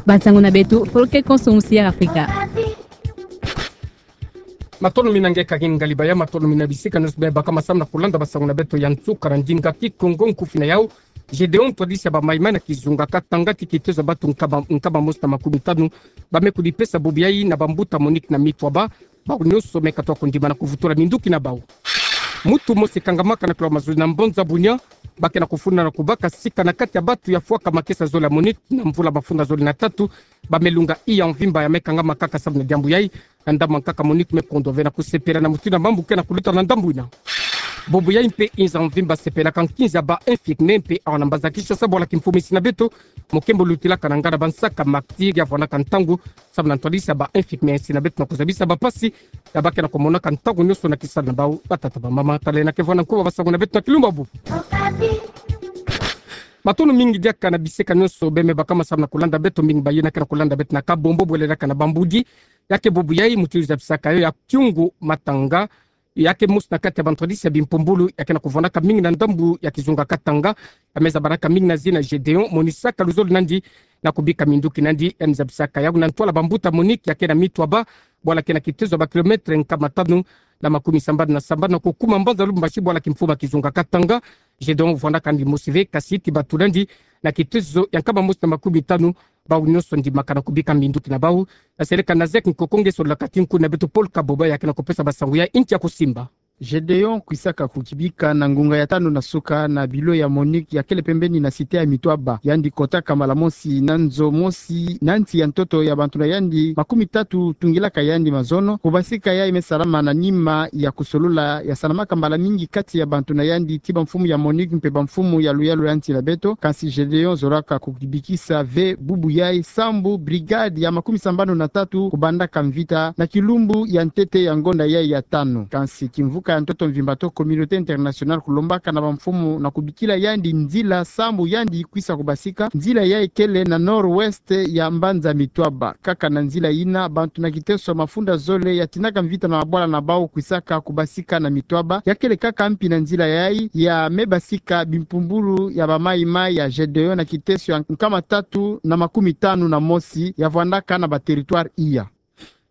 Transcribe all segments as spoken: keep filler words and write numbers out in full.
Basango na beto, folke konso musi ya Afrika. Matondo mingi nge kagin ngali baya, matondo mingi na bisika nyonso bima baka masamu na kulanda basango na beto ya nsuka na ndinga Kikongo. Nkufi na yau: Gédéon, ntwadisi ya bamayi-mayi na kizunga Katanga, ti kitezo ya bantu nkama, nkama mosi na makumi tanu bame kudipesa bubu yayi na bambuta MONUC na mitwaba, bau nyonso me katuka kundima na kuvutula minduki na bau. Muntu mosi kangamaka na kilo mazozi na mbanza Bunia, ba ke na kufunda na kubaka sika na kati ya bantu ya fwaka makesa zole ya MONUC na mvula mafunda zole na tatu, bame lunga iya mvimba ya me kangama kaka samu na diambu yayi, na ndambu ya nkaka MONUC me kondwa ve na kusepela na mutindu ya mambu ke na kuluta na ndambu ina. Bubu yayi mpe inza mvimba sepelaka nkinzi ya ba infirmier mpe awa na mbanza Kinshasa, bwala kimfumu ya insi na beto, mokembo lutilaka na nganda bansaka martyrs ya vwandaka ntangu samu na ntwadisi ya ba infirmier ya insi na beto na kuzabisa bampasi ya ba ke na kumonaka ntangu nyonso na kisalu na bau, batata, bamama. Tala ena ke vwanda nkuba basango na beto na kilumbu ya bubu. Matondo mingi diaka na bisika nyonso bima baka masamu na kulanda beto, mingi bayi na ke na kulanda beto na Kabombo, bwele diaka na Bambudi. Ya ke bubu yayi mutindu zabisaka yo ya Kyungu Matanga, ya ke mosi na kati ya bantwadisi ya bimpumbulu ya ke na kuvwandaka mingi na ndambu ya kizunga Katanga, ya me zabanaka mingi na zina Gédéon, monisaka luzolo na yandi na kubika minduki na yandi. Yandi zabisaka yau na ntwala bambuta MONUC ya ke na mitwaba, bwala ke na kitezo ya ba kilomètre nkama tanu na makumi sambanu na sambanu na kukuma mbanza Lubumbashi, bwala kimfumu ya kizunga Katanga. Gédéon vwandaka yandi mosi ve, kasi ti batula yandi na kitezo ya nkama mosi na makumi tanu, bau nyonso ndimaka na kubika minduki na bau. Aseleka na Zek Nkoko, nge sololaka ti nkuna beto Paul Kaboba ya ke na kupesa basango ya inti ya kusimba. Gédéon kwisaka kukibika na ngunga ya tanu na suka na bilo ya MONUC ya kele pembeni na cité ya Mitwaba. Yandi kotaka mbala mosi na nzo mosi na nsi ya ntoto ya bantu na yandi makumi tatu tungilaka yandi mazono. Kubasika yayi me salama na nima ya kusolola ya salamaka mbala mingi kati ya bantu na yandi ti bamfumu ya MONUC mpe bamfumu ya luyalu ya nsi na beto. Kansi Gédéon zolaka kukibikisa ve bubu yayi sambu brigade ya makumi sambanu na tatu kubandaka mvita na kilumbu ya ntete ya ngonda yayi ya tanu. Kansi kimvuka ya ntoto mvimba to communauté internationale kulombaka na bamfumu na kubikila yandi nzila sambu yandi kwisa kubasika. Nzila yayi kele na nord-ouest ya mbanza Mitwaba. Kaka na nzila yina, bantu na kiteso mafunda zole ya tinaka mvita na mabwala na bau kwisaka kubasika na Mitwaba. Ya kele kaka mpi na nzila yayi ya me basika bimpumbulu ya bamayi-mayi ya Gédéon na kiteso ya nkama tatu na makumi tanu na mosi ya vwandaka na ba territoire iya.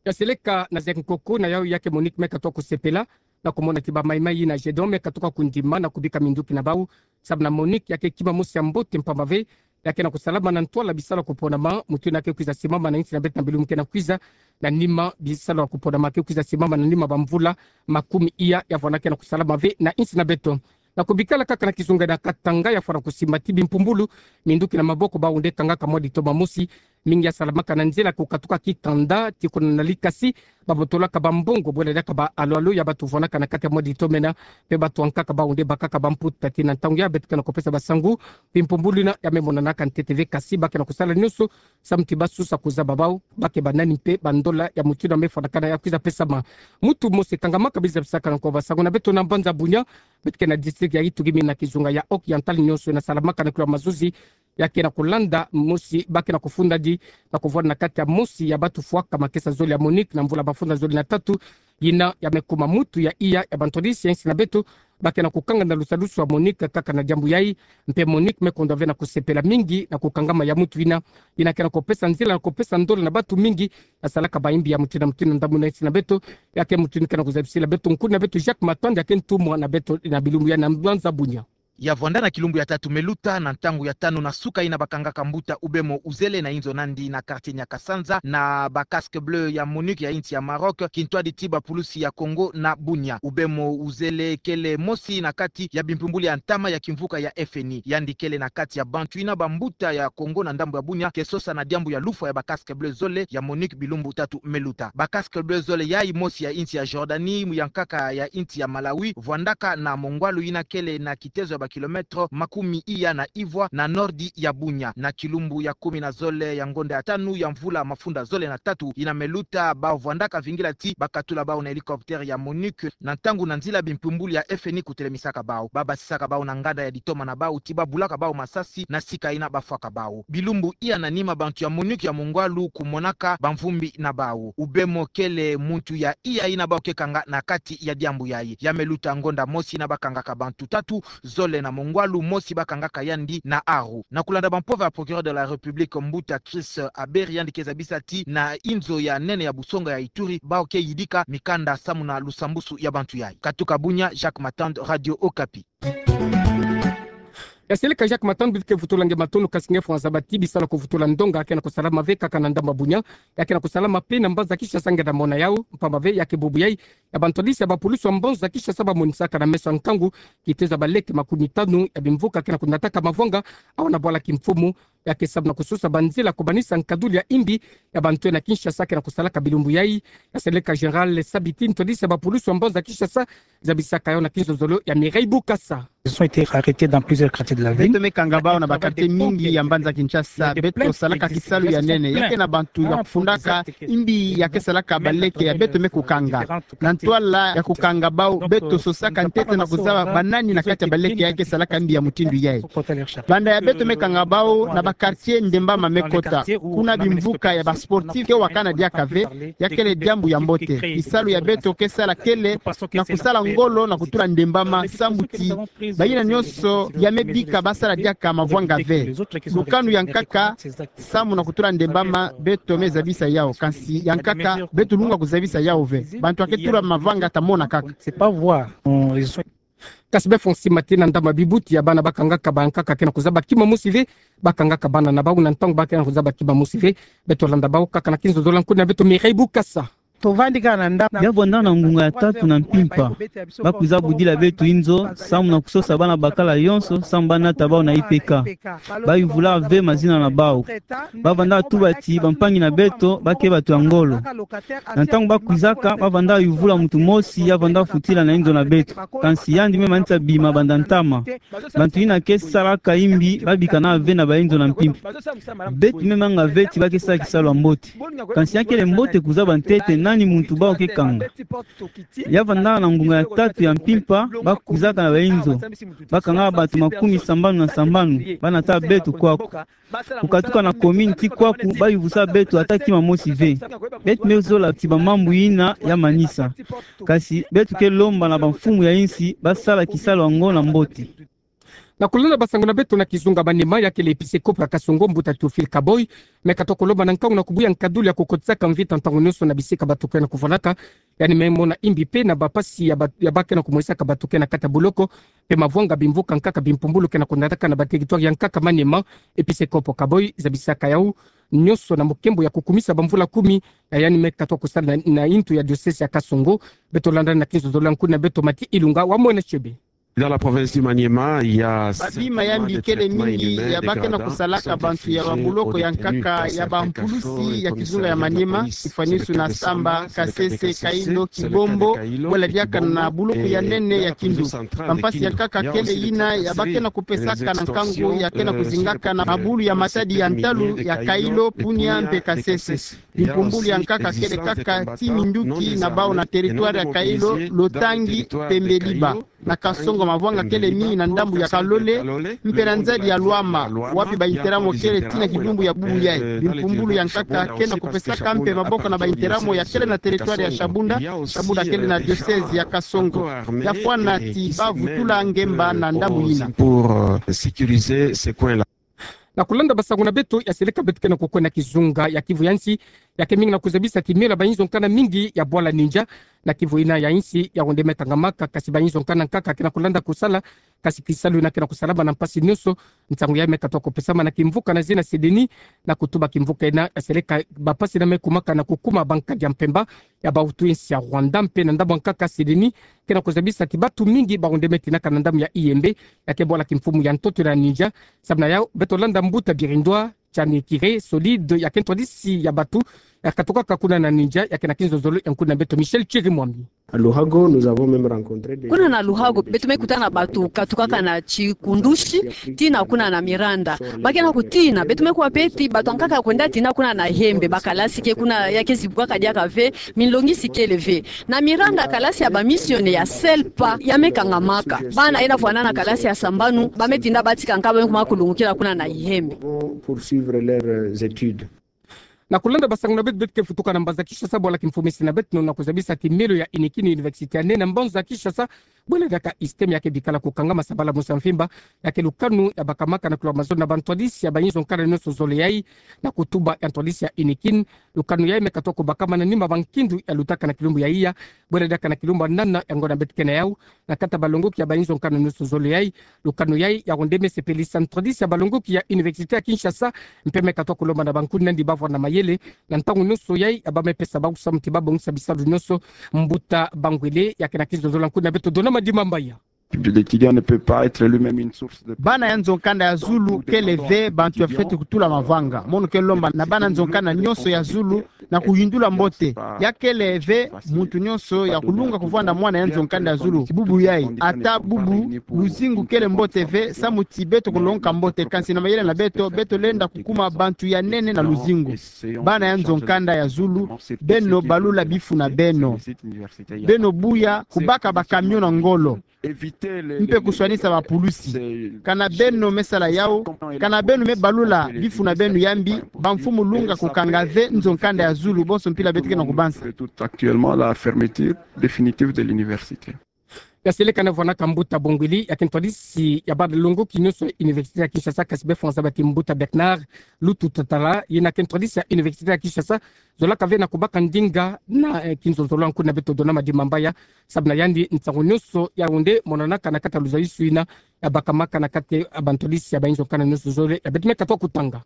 Ya seleka na Zek Nkoko, na yau ya ke MONUC me katuka kusepela na kumona ti bamayi-mayi yina Gédéon me katuka kundima na kubika minduki na bau. Samu na MONUC ya ke kima mosi ya mbote mpamba ve, ya ke na kusalama na ntwala bisalu ya kuponama, mutindu yina ke kwiza simama na insi na beto na bilumbu ke na kwiza, na nima bisalu ya kuponama ke kwiza simama na nima bamvula makumi iya ya vwanda ke na kusalama ve na insi na beto. Na kubikala kaka na kizunga na Katanga, ya fwana kusimba ti bimpumbulu minduki na maboko bau nde kangaka mwa ditoma mosi, mingi ya salamaka na nzila kukatuka Kitanda ti kuna na Likasi, babotolaka bambongo bwele diaka ba alo-alo ya bantu vwandaka na kati ya mwa ditoma ena, mpe bantu ankaka bau nde bakaka bamputa ti na ntangu ya beto ke na kupesa basango, bimpumbulu yina ya me monanaka ntete ve, kasi ba ke na kusala nyonso samu ti basusa kuzaba bau ba ke banani mpe bandola ya mutindu yina me fwanakana ya kwiza pesama. Muntu mosi kangamaka bima zabisaka nkuba basango na beto na mbanza Bunia, beto ke na district ya Ituri mingi na kizunga ya Oriental, nyonso yina salamaka na kilo mazozi ya ke na kulanda mosi ba ke na kufunda di na kuvwanda na kati ya mosi ya bantu fwaka makesa zole ya MONUC na mvula mafunda zole na tatu, yina ya me kuma mutu ya iya ya bantwadisi ya insi na beto ba ke na kukanga na lusadusu ya MONUC kaka na diambu yayi. Mpe MONUC me kondwa ve na kusepela mingi na kukangama ya mutu yina, yina ke na kupesa nzila na kupesa ndola na bantu mingi ya salaka bayimbi ya mutindu na mutindu na ndambu na insi na beto. Ya ke mutu yina ke na kuzabisila beto nkuna beto Jacques Matanda ya ke ntumwa na beto na bilumbu ya na mbanza Bunia. Ya vwanda na kilumbu ya tatu me luta, na ntangu ya tanu na suka yina bakangaka mbuta Ubemo Uzele na inzo na yandi na quartier Nyakasanza na ba casques bleus ya MONUC ya insi ya Maroc, kintwadi ti bapulusi ya Congo na Bunia. Ubemo Uzele kele mosi na kati ya bimpumbulu ya ntama ya kimvuka ya FNI. Yandi kele na kati ya bantu yina bambuta ya Congo na ndambu ya Bunia ke sosa na diambu ya lufwa ya ba casques bleus zole ya MONUC bilumbu tatu me luta. Ba casques bleus zole yayi, mosi ya insi ya Jordanie, ya nkaka ya insi ya Malawi, vwandaka na Mongwalu yina kele na kitezo ya ba kilomètre makumi iya na ivwa na nordi ya Bunia. Na kilumbu ya kumi na zole ya ngonda ya tanu ya mvula mafunda zole na tatu yina me luta, bau vwandaka vingila ti bakatula bau na hélicoptère ya MONUC na ntangu na nzila bimpumbulu ya FNI kutelemisaka bau. Babasisaka bau na nganda ya ditoma na bau ti babulaka bau masasi na sika yina bafwaka bau. Bilumbu iya na nima, bantu ya MONUC ya Mongwalu kumonaka bamvumbi na bau. Ubemo kele muntu ya iya yina bau ke kanga na kati ya diambu yayi. Ya me luta ngonda mosi yina bakangaka bantu tatu, zole na mongwalu mosi bakangaka yandi na aru. Na kulanda bampova ya Procureur de la République, Mbuta Chris Aberi, yandi ke zabisa ti na inzo ya nene ya busonga ya Ituri, bawu ke yidika mikanda samu na lusambusu ya bantu yayi. Katuka bunia, Jacques Matand, Radio Okapi. Ya seleka Jacques Matand, bike vutula nge matondo, kasi nge fwanza bati bisalu ya kuvutula ndonga ya ke na kusalama ve kaka na ndambu ya bunia, ya ke na kusalama pe na mbanza Kinshasa, nge na mona yawu, mpamba ve ya ke bubu yayi ya bantwadisi ya bapulusu ya mbanza Kinshasa bamonisaka na meso ya nkangu kitezo ya baleke makumi tanu ya bimvuka ya ke na kunataka mavwanga awu na bwala kimfumu, ya ke samu na kusosa banzila kubanisa nkaduli ya imbi ya bantu na Kinshasa ya ke na kusalaka bilumbu yayi. Ya seleka Général Sabiti, ntwadisi ya bapulusu ya mbanza Kinshasa, zabisaka yawu na kinzonzolo ya Mireille Bukasa. Ils ont été arrêtés dans plusieurs quartiers de la ville. Beto me kanga bawu na bakartie mingi ya mbanza Kinshasa. Beto salaka kisalu ya nene. Ya ke na bantu ya kufundaka imbi ya ke salaka baleke ya beto me kukanga. Na ntwala ya kukanga bawu, beto sosaka ntete na kuzaba banani na kati ya baleke ya ke salaka imbi ya mutindu yayi. Banda ya beto me kanga bawu, na bakartie ndembama me kota. Kuna bimvuka ya basportif ke wakana diaka ve, ya kele diambu ya mbote. Kisalu ya beto ke sala kele na kusala ngolo na kutula ndembama, sambu ti bayina nyonso ya me bika basala diaka mavwanga ve. Lukanu ya nkaka samu na kutula ndembama, beto me zabisa yawu, kansi ya nkaka beto lunga kuzabisa yawu ve. Bantu ya ke tula mavwanga ta mona kaka. C'est pas voir. Kasi befo nsi mati na ndambu ya bibuti ya bana bakangaka bankaka ya ke na kuzaba kima mosi ve, bakangaka bana na bawu na ntangu ba ke na kuzaba kima mosi ve. Beto landa bawu kaka na kinzonzolo ya nkuna beto Mireille Bukasa. Tovandi kaka na ndambu. Ya vwanda na ngunga ya tatu na mpimpa, bakwiza budila beto inzo samu na kusosa bana bakala yonso samu banata bawu na I P K. Bayuvula ve mazina na bawu. Bavanda tuba ti bampangi na beto ba ke bato ya ngolo. Na ntangu bakwizaka, bavanda yuvula muntu mosi ya vanda futila na inzo na beto. Kansi yandi me manisa bima banda ntama. Bantu yina ke salaka imbi babika na ve na bainzo na mpimpa. Beto me manga ve ti ba ke sala kisalu ya mbote. Kansi ya kele mbote kuzaba ntete nani muntu bawu ke kanga. Ya vanda na ngunga ya tatu ya mpimpa, bakwizaka na bainzo. Bakanga bantu makumi sambanu na sambanu, banata beto kwaku. Kukatuka na commune ti kwaku, bayuvusa beto ata kima mosi ve. Beto me zola ti bamambu yina ya manisa. Kasi beto ke lomba na bamfumu ya insi basala kisalu yango na mbote. Na kulanda basango na beto na kizunga Maniema, ya kele episekopo ya Kasongo, Mbuta Théophile Kaboy me katuka kulomba na nkangu na kubuya nkaduli ya kukotisaka mvita ntangu nyonso na bisika bato ke na kuvwandaka. Yandi me mona imbi pe na bapasi ya ba, ya ba ke na kumonisaka bato ke na kati ya boloko pe mavwanga bimvuka nkaka bimpumbulu ke na kunataka na bateritware ya nkaka Maniema. Episekopo Kaboy zabisaka yawu nyonso na mukembo ya kukumisa bamvula kumi ya yandi me katuka kusala na, na intu ya diocèse ya Kasongo. Beto landa na kinzonzolo ya nkuna beto Mati Ilunga wa Mwene Chebe. Dans la province du Maniema, il y a babima ya mbi kele mingi ya ba ke na kusalaka bantu ya babuloko ya nkaka ya bampulusi ya kizunga ya Maniema, tifwanisu na Samba, Kasese, Kailo, Kibombo, wala diaka na buloko ya nene ya Kindu. Bampasi ya nkaka kele yina ya ba ke na kupesaka na nkangu ya ke na kuzingaka na mabulu ya matadi ya ntalu ya Kailo, Bunia mpe Kasese. Bimpumbulu ya nkaka kele kaka ti minduki na bawu na teritware ya Kailo, Lotangi mpe Mbeliba. Na Kasongo mavwanga kele mingi na ndambu ya Kalole mpe na nzadi ya Lwama, wapi bainteramo kele ti na kidumbu ya bubu yayi. Bimpumbulu ya nkaka ke na kupesaka mpe maboko na bainteramo ya kele na teritware ya Shabunda, Shabunda kele na diocèse ya Kasongo. Ya fwana ti ba vutula ngemba na ndambu yina. Pour, euh, sécuriser ces coins-là. Na kulanda basango na beto, ya seleka beto ke na kukwenda kizunga ya Kivu ya nsi, ya ke mingi na kuzabisa kimela bainzo nkana mingi ya bwala Ninja. Na Kivu yina ya nsi ya wende me kangamaka, kasi bainzo nkana nkaka ke na kulanda kusala, kasi kisalu yina ke na kusalama na mpasi nyonso. Nsangu ya me katuka kupesama na kimvuka na zina Sedeni, na kutuba kimvuka yina, ya seleka bapasi yina me kumaka na kukuma bankadi ya mpemba ya bawutu ya nsi ya Rwanda mpe na ndambu ya nkaka Sedeni ke na kuzabisa ti bato mingi ba wende me tinaka na ndambu ya Ihembe, ya ke bwala kimfumu ya ntoto na Ninja. Samu na yawu, beto landa Mbuta Birindwa Chani Kire Solide, ya ke ntwadisi ya bato, ya katukaka kuna na Ninja, ya ke na kinzonzolo ya nkuna beto Michel Chirimwami. À Luhago, nous avons même rencontré des... Kuna na Luhago, beto me kutana na bato katukaka na Chikundushi, tii na kuna na Miranda. Ba ke na kutina, beto me kuwa pe ti bato ya nkaka kwenda tina kuna na Ihembe, bakalasi ke kuna ya ke zibukaka diaka ve, minlongi si kele ve. Na Miranda, kalasi ya bamisionele ya SELPA ya me kangamaka. Bana yina fwanana kalasi ya sambanu, ba me tinda batika nkaka, ba me kuma kulungukila kuna na Ihembe. Poursuivre leurs études. Na kulanda basango na beto, beto ke vutuka na mbanza Kinshasa, bwala kimfume si na beto, na kuzabisa ti mielo ya INEKI, Université ya nene na mbanza Kinshasa, bwela diaka ISTEM, ya ke bikala kukangama sabala musa mvimba, ya ke lukanu ya bakamaka na kulwa mazo na bantwadisi ya bayinzo nkanda nyonso zole yai, na kutuba ya ntwadisi ya INEKI. Lukanu yai me katoa kubakama na nima ba nkindu ya lutaka na kilumbu ya iya, bwela diaka na kilumbu ya nana ya ngonda beto ke na yau, na kati ya balongoki ya bayinzo nkanda nyonso zole yai. Lukanu yai ya onde me sepelisa ntwadisi ya balongoki ya Université ya Kinshasa, mpe me katoa kulomba na bankuni nandi bavwanda mayele, na ntangu nyonso yai ya ba me pesa bau samu ti babongisa bisalu nyonso. Mbuta Bangwele, ya ke na kinzonzolo ya nkuni na beto Dona Madimambaya. L'étudiant ne peut pas être lui-même une source de... Bana ya nzo nkanda ya zulu kele ve bantu ya fwete kutula mavanga. Mono ke lomba na bana nzo nkanda nyonso ya zulu na kuyindula mbote. Ya kele ve muntu nyonso ya kulunga kuvwanda mwana ya nzo nkanda ya zulu. Bubu yai, ata bubu luzingu kele mbote ve, samu ti beto kulongoka mbote, kansi na mayele na beto, beto lenda kukuma bantu ya nene na luzingu. Bana ya nzo nkanda ya zulu, beno balula bifu na beno. Beno buya kubaka ba camion na ngolo, mpe kuswanisa bapulusi. Kana beno me sala yau, kana beno me balula bifu na beno ya mbi, bamfumu lunga kukanga ve nzo nkanda ya zulu, bonso mpila beto ke na kubansa. Actuellement, la fermeture définitive de l'université. Ya seleka na vwanaka mbuta Bongwili, ya ke ntwadisi ya balongoki nyonso ya Université ya Kinshasa, kansi bafwanza ba ti mbuta Bernard Lutu Tatala, yena ke ntwadisi ya Université ya Kinshasa, zolaka ve na kubaka ndinga na, eh, kinzonzolo ya nkuni na beto Dona Madimambaya, samu na yandi nsangu nyonso ya onde monanaka na kati ya luzayusu yina ya bakamaka na kati ya bantwadisi ya bayinzo nkanda nyonso zole ya beto me katoa kutanga.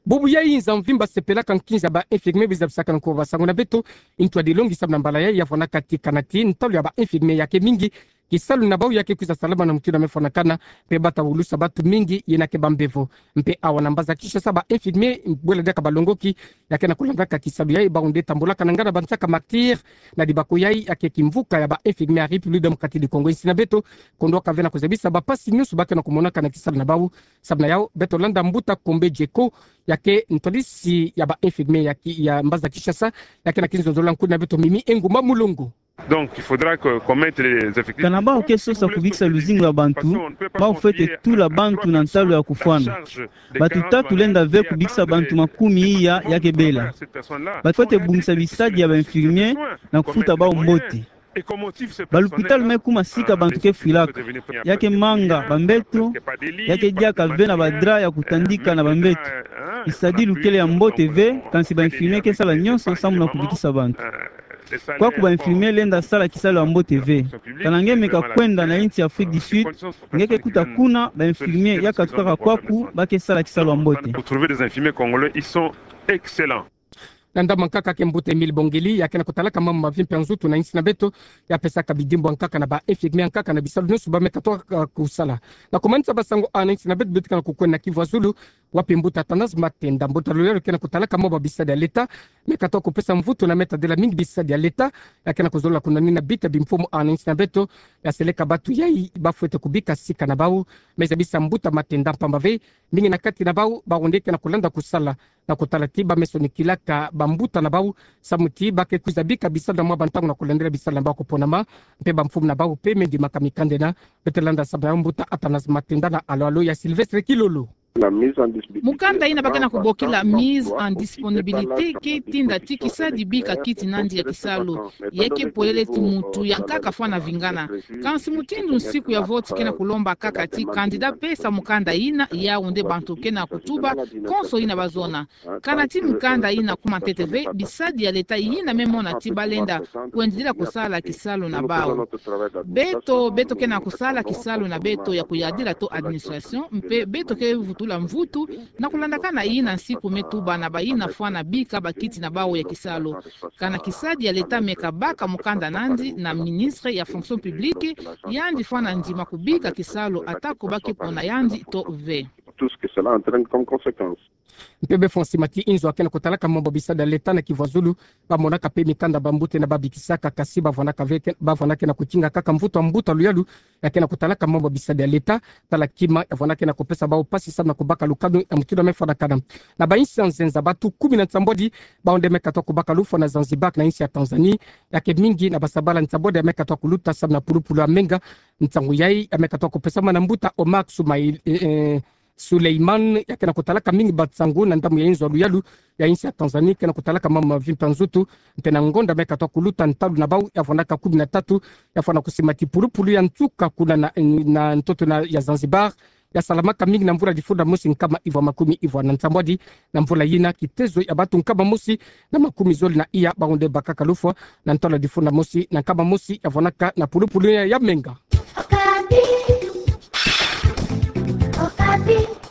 Bubu yai nza mvimba sepelaka nkinza ba infirmier bizabisaka na nko basango na beto, ntwadilongi samu na mbala yai ya vwanaka ti kana ti ntalu ya ba infirmier ya ke mingi, kisalu na bau ya ke kwiza salama na mutindu ya me fwanakana, mpe bata wulusa bantu mingi yena ke bambevo. Mpe awa na mbanza Kinshasa ba infirmier bwela diaka balongoki ya ke na kulandaka kisalu yai, bau nde tambulaka na nganda bansaka martyr na dibako yai ya ke kimvuka ya ba infirmier ya République démocratique du Congo. Insi na beto, kondwaka ve na kuzabisa bampasi nyonso ba ke na kumonaka na kisalu na bau. Samu na yau, beto landa mbuta Kombe Djeko, ya ke ntwadisi ya ba infirmier ya ki-, ya mbanza Kinshasa, ya ke na kinzonzolo ya nkuni na beto Mimi Engumba Mulongo. Donc, il faudra que, qu'on mette les effectifs. Kana bau ke sosa kubikisa luzingu ya bantu, bau fwete tula bantu na ntalu ya kufwana. Bantu tatu lenda ve kubikisa bantu makumi iya ya ke bela. Bau fwete bongisa bisadi ya ba infirmier na kufuta bau mbote. Balupitalu me kuma sika bantu ke fwilaka. Ya ke manga bambeto, ya ke diaka ve na ba drap ya kutandika na bambeto. Bisadilu kele ya mbote ve, kansi ba infirmier ke sala nyonso samu na kubikisa bantu. Kwaku ba infirmier lenda sala kisalu ya mbote ve. Kana nge meka kwenda na insi ya Afrique du Sud, nge ke kuta kuna ba infirmier ya katukaka kwaku ba ke sala kisalu ya mbote. Pour trouver des infirmiers congolais, ils sont excellents. Na ndambu ya nkaka ke mbuta Emile Bongwili, ya ke na kutalaka mambu ma vie mpe ya nzutu na insi na beto, ya pesaka bidimbu ya nkaka na ba infirmier ya nkaka na bisalu nyonso ba me katoa, uh, kusala. Na kumanisa basango awa na insi na beto, beto ke na kukwenda na Kivu ya Zulu, wapi mbuta Athanase Matenda, mbuta lolo ya ke na kutalaka mambu ma bisadi ya leta, me katoa kupesa mvutu na me tadila mingi bisadi ya leta, ya ke na kuzolaka kuna nina bita bimfumu awa na insi na beto, ya seleka bantu yai ba fwete kubika sika na bau, me zabisa mbuta Matenda mpamba ve, mingi na kati na bau, bau nde ke na kulanda kusala, na kutala ti ba me sonikilaka bambuta na bau, samu ti ba ke kwiza bika bisalu na mwa bantangu na kulandila bisalu na bau kuponama, mpe bamfumu na bau mpe me ndimaka mikanda ena. Beto landa samu na mbuta Athanase Matenda na alo-alo ya Sylvestre Kilolo. Mukanda yina ba ke na kubokila mise en disponibilité ke tinda ti kisadi bika kiti nandi ya kisalu. Ya ke polele ti muntu ya nkaka fwana vingana. Kansi mutindu nsiku ya vote ke na kulomba kaka ti candidat pesa mukanda yina, yau nde bantu ke na kutuba konso yina ba zona. Kana ti mukanda yina kuma ntete ve, bisadi ya leta yina me mona ti ba lenda kwendidila kusala kisalu na bau. Beto, beto ke na kusala kisalu na beto ya kuyadila to administration, mpe beto ke vutula mvutu na kulandakana yina nsiku me tuba na bayina fwana bika bakiti na bau ya kisalu. Kana kisadi ya leta meka baka mukanda nandi na ministre ya fonction publique, yandi fwana ndima kubika kisalu ata ko ba ke pona yandi to ve. Tout ce que cela entraîne comme conséquence. Mpe bafwa nsima ti inzo ya ke na kutalaka mambu ma bisadi ya leta na Kivu ya Zulu, ba monaka mpe mikanda bambuta yina ba bikisaka, kasi ba vwanaka ve ke, ba vwanaka na kutinga kaka mvutu ya mbuta luyalu ya ke na kutalaka mambu ma bisadi ya leta, tala kima ya vwanaka na kupesa bau mpasi samu na kubaka lukanu ya mutindu ya me fwanakana. Na ba insi ya nzenza, bantu kumi na nsambwadi bau nde me katoa kubaka lufwa na Zanzibar na insi ya Tanzanie, ya ke mingi na basabala nsambwadi ya me katoa kuluta samu na pulupulu ya menga. Nsangu yai ya me katoa kupesama na mbuta Omar Soumaïl, eh, eh, Suleiman, ya kena kutalaka mingi batsango na ndamu ya inzo ya luyalu ya insi ya Tanzanie, kena kutalaka mama Vimpa Nzutu, ntena ngonda me katwa kuluta ntalu na bau ya vwanaka kumi na tatu, ya vwana kusimati pulupulu ya nsuka kuna na, na ntoto na ya Zanzibar, ya salamaka mingi na mvula difunda mosi nkama ivwa makumi ivwa na nsambwadi, na mvula yina kitezo ya batu nkama mosi na makumi zole na iya baonde bakaka lufwa, na ntwala difunda mosi na nkama mosi ya vwanaka na pulupulu ya, ya menga. Okapi. Okapi.